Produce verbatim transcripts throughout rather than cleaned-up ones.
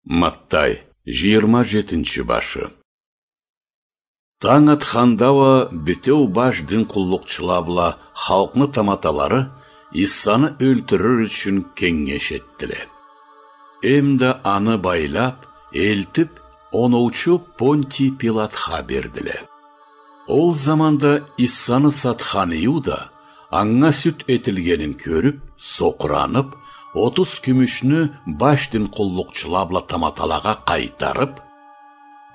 Маттай, жыйырма жетинчи башы. Танг атханда уа бютеу баш дин къуллукъчула бла халкъны таматалары Иссаны ёлтюрюр ючюн кенгеш этдиле. Эмда аны байлап, элтип, оноучу Понтий Пилатха бердиле. Ол заманда Иссаны сатхан Иуда, анга сюд этилгенин кёрюп, сокъуранып, отуз кюмюшню баш дин къуллукъчула бла таматалагъа къайтарып: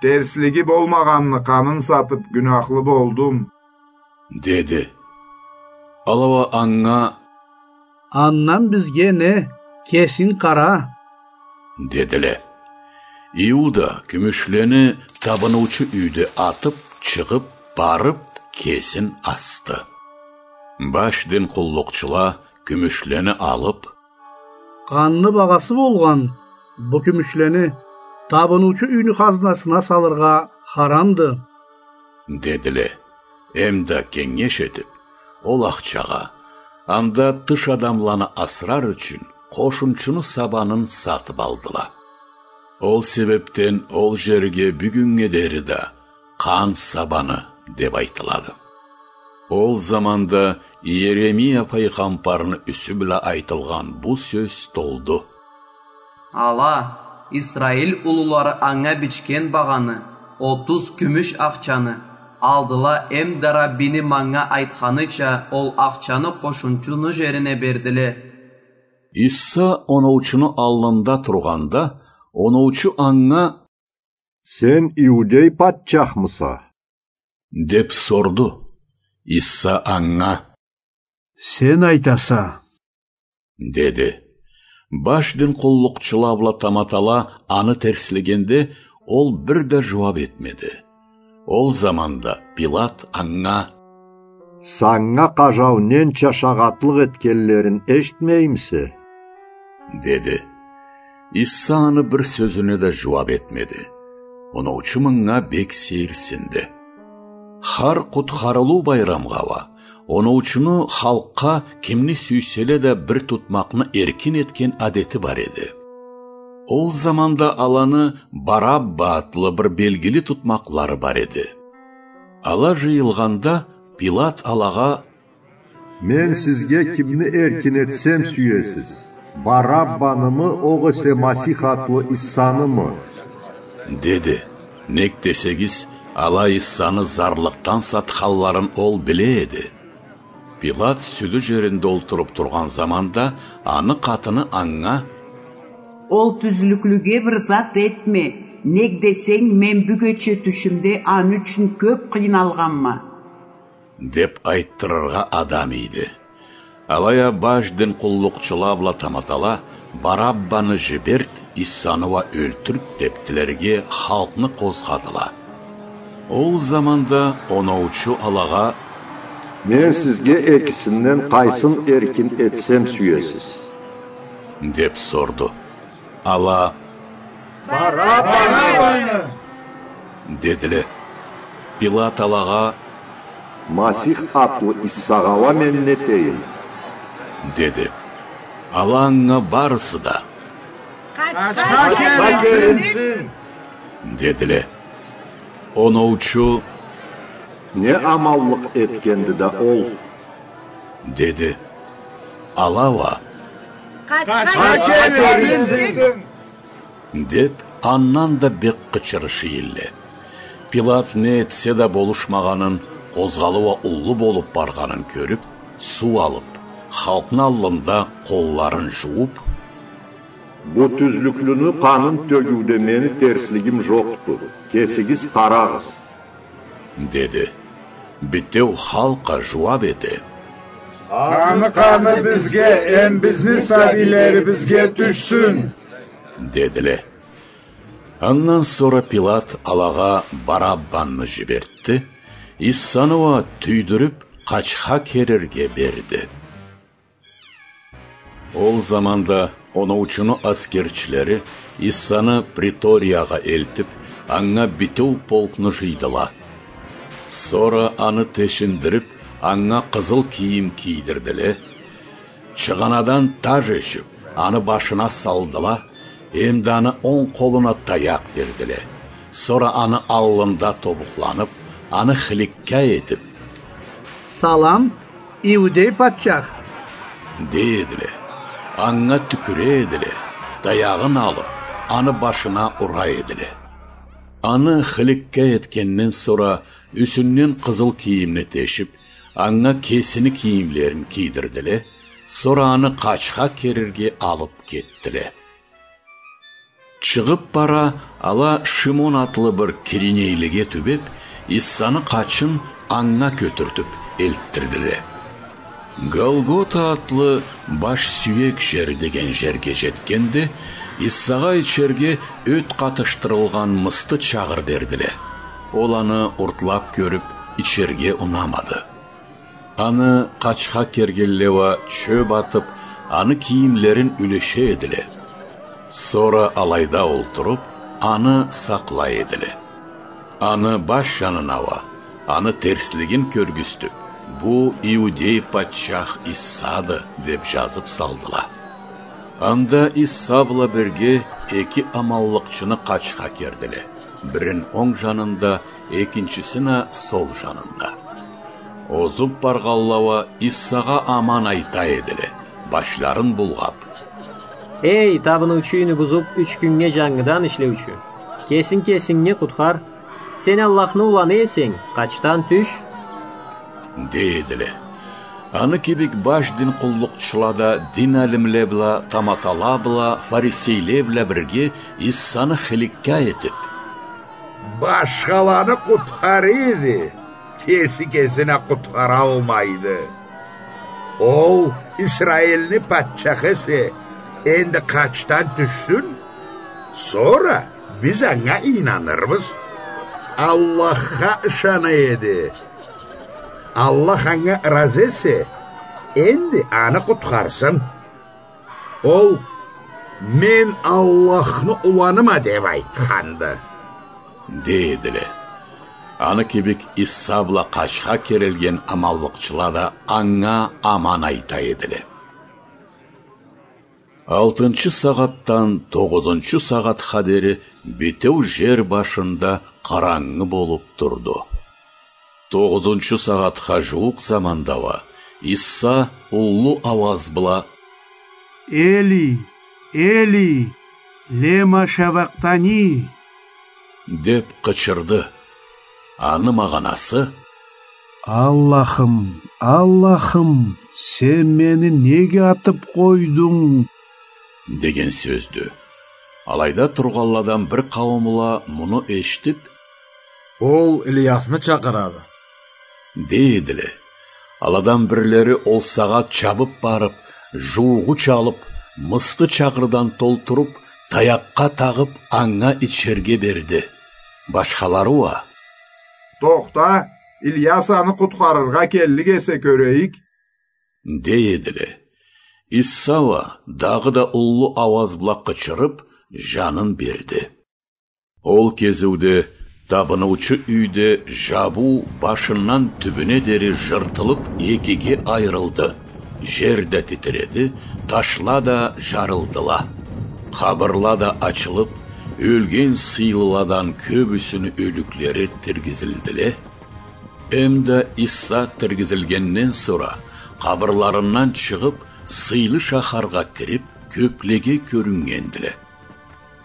«Терслиги болмагъанны къанын сатып, гюнахлы болдум», — деди. Ала уа анга: «Андан бизге не, кесинг къара», — дедиле. Иуда кюмюшлени табыныучу юйде атып, чыгъып барып, кесин асды. Баш дин къуллукъчула кюмюшлени алып: «Къанны багъасы болгъан бу кюмюшлени табыныучу юйню хазнасына салыргъа харамды», — дедиле. Эмда кенгеш этип, ол ахчагъа анда тыш адамланы асрар ючюн къошунчуну сабанын сатып алдыла. Ол себепден ол жерге бюгюннге дери да Къан сабаны деп айтылады. Ол заманда Иеремия пайгъамбарны юсю бла айтылгъан бу сёз толду: «Ала, Исраил улулары анга бичген багъаны, отуз кюмюш ахчаны, алдыла эмда Раббини манга айтханыча ол ахчаны къошунчуну жерине бердиле». Исса оноучуну аллында тургъанда, оноучу анга: «Сен иудей патчахмыса?» — деп сорду. Исса анга: «Сен айтаса», — деди. Баш дин къуллукъчула бла таматала аны терслегенде, ол бир да жууап этмеди. Ол заманда Пилат анга: «Санга къажау ненча шагъатлыкъ этгенлерин эшитмеймисе?» — деди. Исса аны бир сёзюне да жууап этмеди. Оноучу мынга бек сейирсинди. Хар Къутхарылыу байрамгъа уа оноучуну халкъгъа кимни сюйселе да бир тутмакъны эркин этген адети бар эди. Ол заманда аланы Барабба атлы бир белгили тутмакълары бар эди. Ала жыйылгъанда, Пилат алагъа: «Мен сизге кимни эркин этсем сюесиз, Бараббанымы, огъесе Масих атлы Иссанымы?» — деди. Нек десегиз, ала Иссаны зарлыкъдан сатханларын ол биле эди. Пилат сюдю жеринде олтуруп тургъан заманда, аны къатыны анга: «Ол тюзлюклюге бир зат этме, нек десенг, мен бюгече тюшюмде аны ючюн кёп къыйналгъанма», — деп айтдырыргъа адам ийди. Алай а баш дин къуллукъчула бла таматала: «Бараббаны жиберт, Иссаны уа ёлтюрт», — деп тилерге, халкъны къозгъадыла. Ол заманда оноучу алагъа: «Мен сизге экисинден къайсын эркин этсем сюесиз?» — деп сорду. Ала: «Бараббаны!» — дедиле. Пилат алагъа: «Масих атлы Иссагъа уа мен нетейим?» — деди. Ала анга барысы да: «Къачха керилсин!» — дедиле. Оноучу: «Не аманлыкъ этгенди да ол!» — деди. Ала уа: «Къачха керилсин!» — деп, андан да бек къычырыша эдиле. Пилат не этсе да болушмагъанын, къозгъалыу уа уллу болуп баргъанын кёрюп, суу алып, халкъны аллында къолларын жууп: «Бу тюзлюклюню къанын тёгюуде мени терслигим жокъду. Кесигиз къарагъыз», — деди. Бютеу халкъ а жууап эте: «Аны къаны бизге эм бизни сабийлерибизге тюшсюн!» — дедиле. Андан сора Пилат алагъа Бараббанны жибертди, Иссаны уа тюйдюрюп, къачха керирге берди. Ол заманда оноучуну аскерчилери Иссаны приториягъа элтип, анга бютеу полкну жыйдыла. Сора аны тешиндирип, анга къызыл кийим кийдирдиле, чыгъанадан таж эшип, аны башына салдыла, Эм да аны онг къолуна таякъ бердиле. Сора аны аллында тобукъланып, аны хыликка этип: «Салам, иудей патчах!» — дей эдиле. Анга тюкюре эдиле, таягъын алып, аны башына ура эдиле. Аны хыликка этгенден сора юсюнден къызыл кийимни тешип, анга кесини кийимлерин кийдирдиле, сора аны къачха керирге алып кетдиле. Чыгъып бара, ала Шимон атлы бир киринейлиге тюбеп, Иссаны къачын анга кётюртюп элтдирдиле. Голгота атлы «Баш сюек жер» деген жерге жетгенде, Иссагъа ичерге ёт къатышдырылгъан мысты чагъыр бердиле. Ол аны уртлап кёрюп, ичерге унамады. Аны къачха кергенле уа чёп атып, аны кийимлерин юлеше эдиле. Сора алайда олтуруп, аны сакълай эдиле. Аны баш жанына уа, аны терслигин кёргюзтюп: «Бу иудей патчах Иссады», — деп жазып салдыла. Анда Исса бла бирге эки аманлыкъчыны къачха кердиле, бирин онг жанында, экинчисин а сол жанында. Озуп баргъанла уа Иссагъа аман айта эдиле, башларын булгъап: «Эй, табыныучу юйню бузуп, юч кюннге жангыдан ишлеучю! Кесинг кесингни къутхар! Сен Аллахны уланы эсенг, къачдан тюш!» — дей эдиле. Аны кибик баш дин къуллукъчула да дин алимле бла, таматала бла, фарисейле бла бирге Иссаны хыликка этип: «Башхаланы къутхара эди, кеси кесин а къутхаралмайды. Ол Исраилни патчахы эсе, энди къачдан тюшсюн, сора биз анга ийнанырбыз. Аллахха ышана эди. Аллах анга ыразы эсе, энди аны къутхарсын. Ол: „Мен Аллахны уланыма“, — деп айтханды», — дей эдиле. Аны кибик Иса бла къачха керилген аманлыкъчыла да анга аман айта эдиле. Алтынчы сагъатдан тогъузунчу сагъатха дери бютеу жер башында къарангы болуп турду. Тогъузунчу сагъатха жууукъ заманда уа Иса уллу ауаз бла: «Эли, Эли, лема шавакътани?» — деп къычырды. Аны магъанасы: «Аллахым, Аллахым, сен мени неге атып къойдунг?» — деген сёздю. Алайда тургъанладан бир къауумла муну эшитип: «Ол Ильясны чакъырады», — дей эдиле. Аладан бирлери ол сагъат чабып барып, жуугъуч алып, мысты чагъырдан толтуруп, таякъгъа тагъып, анга ичерге берди. Башхалары уа: «Тохта, Ильяс аны къутхарыргъа келлик эсе кёрейик», — дей эдиле. Иса уа дагъыда уллу ауаз бла къычырып, жанын берди. Ол кезиуде табыныучу юйде жабыу башындан тюбюне дери жыртылып, экиге айырылды. Жер да титиреди, ташла да жарылдыла. Къабырла да ачылып, ёлген сыйлыладан кёбюсюню ёлюклери тиргизилдиле. Эм да Иса тиргизилгенден сора, къабырларындан чыгъып, сыйлы шахаргъа кирип, кёплеге кёрюннгендиле.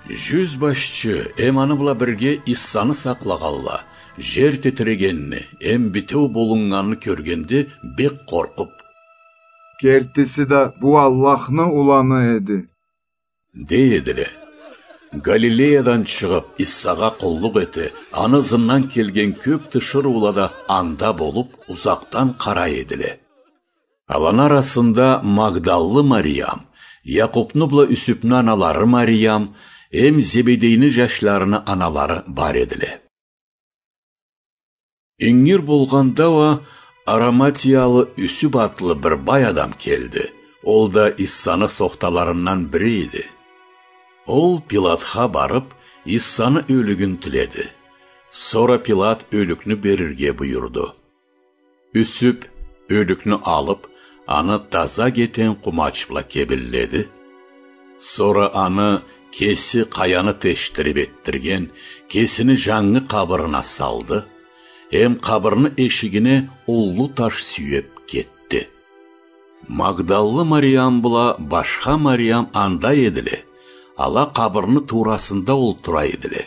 Жюзбашчы эм аны бла бирге Исаны сакълагъанла, жер титирегенни эм бютеу болуннганны кёргенде, бек къоркъуп: «Кертиси да бу Аллахны уланы эди», — дей эдиле. Галилеядан чыгъып, Исагъа къуллукъ эте, аны ызындан келген кёп тиширыула да анда болуп, узакъдан къарай эдиле. Аланы арасында Магдаллы Мариям, Якъупну бла Юсюпню аналары Мариям, эм Зебедейни жашларыны аналары бар эдиле. Ингир болгъанда уа Араматиялы Юсюп атлы бир бай адам келди. Ол да Исаны сохталарындан бири эди. Ол Пилатха барып, Исаны ёлюгюн тиледи. Сора Пилат ёлюкню берирге буюрду. Юсюп ёлюкню алып, аны таза кетен къумач бла кебинледи. Сора аны Кеси къаяны тешдирип этдирген кесини жангы къабырына салды, эм къабырны эшигине уллу таш сюеп кетди. Магдаллы Мариям бла башха Мариям анда эдиле, ала къабырны туурасында олтура эдиле.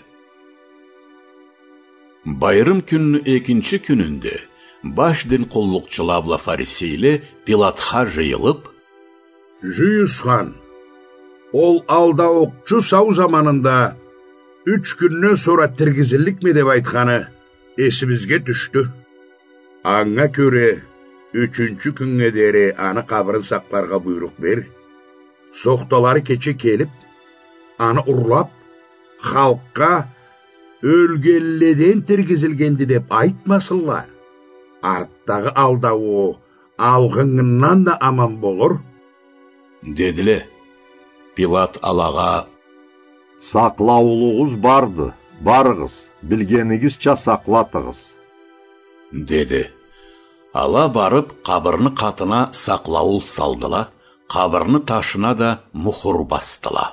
Байрам кюнню экинчи кюнюнде баш дин къуллукъчула бла фарисейле Пилатха жыйылып: «Жюйюс хан, ол алдаукъчу сау заманында юч кюнден сора тиргизилликме деп айтханы эсибизге тюшдю. Анга кёре ючюнчю кюннге дери аны къабырын сакъларгъа буйрукъ бер. Сохталары кече келип, аны урлап, халкъгъа: „Ёлгенледен тиргизилгенди“, деп айтмасынла. Артдагъы алдауу алгъынгындан да аман болур», — дедиле. Пилат алагъа: «Сакълауулугъуз барды, барыгъыз, билгенигизча сакълатыгъыз», — деди. Ала барып, къабырны къатына сакълауу салдыла, къабырны ташына да мухур басдыла.